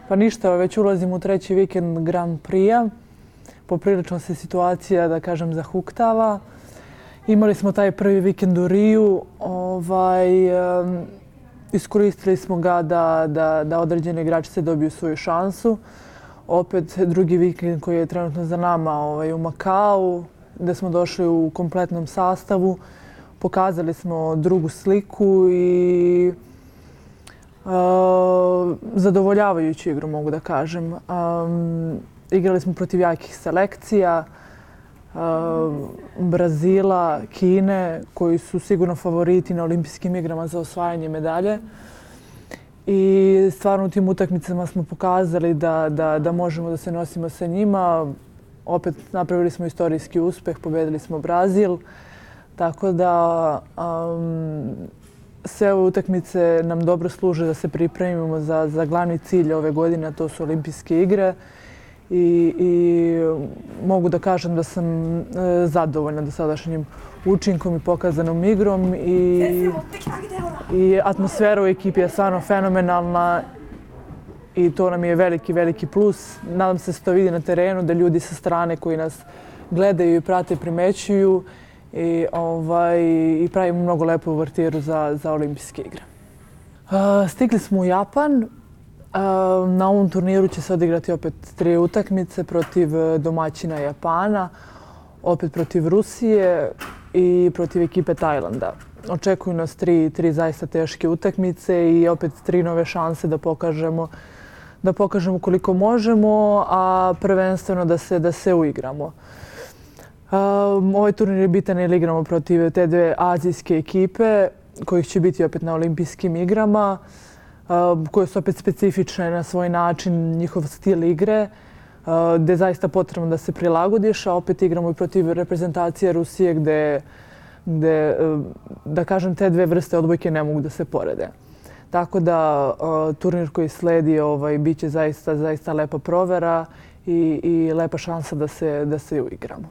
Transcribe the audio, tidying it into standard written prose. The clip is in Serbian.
Pa ništa, već ulazimo u treći vikend Grand Prix-a. Poprilično se situacija, da kažem, zahuktava. Imali smo taj prvi vikend u Riju. Iskoristili smo ga da određene igračice dobiju svoju šansu. Opet drugi vikend koji je trenutno za nama u Makau, gde smo došli u kompletnom sastavu. Pokazali smo drugu sliku i zadovoljavajuću igru, mogu da kažem. Igrali smo protiv jakih selekcija, Brazila, Kine, koji su sigurno favoriti na olimpijskim igrama za osvajanje medalje. I stvarno u tim utakmicama smo pokazali da možemo da se nosimo sa njima. Opet napravili smo istorijski uspeh, pobedili smo Brazil. Tako da sve ove utakmice nam dobro služe da se pripremimo za glavni cilj ove godine, a to su olimpijske igre. I mogu da kažem da sam zadovoljna dosadašnjim učinkom i pokazanom igrom. I atmosfera u ekipi je stvarno fenomenalna i to nam je veliki, veliki plus. Nadam se da se to vidi na terenu, da ljudi sa strane koji nas gledaju i prate primećuju i pravimo mnogo lepu uvertiru za olimpijske igre. Stigli smo u Japan. Na ovom turniru će se odigrati opet 3 utakmice protiv domaćina Japana, opet protiv Rusije i protiv ekipe Tajlanda. Očekuju nas 3 zaista teške utakmice i opet 3 nove šanse da pokažemo koliko možemo, a prvenstveno da se uigramo. Ovaj turnir je bitan jer igramo protiv te dve azijske ekipe kojih će biti opet na olimpijskim igrama, koje su opet specifične na svoj način, njihov stil igre, gde je zaista potrebno da se prilagodiš, a opet igramo i protiv reprezentacije Rusije gde, da kažem, te dve vrste odbojke ne mogu da se porede. Tako da turnir koji sledi bit će zaista lepa provera i lepa šansa da se uigramo.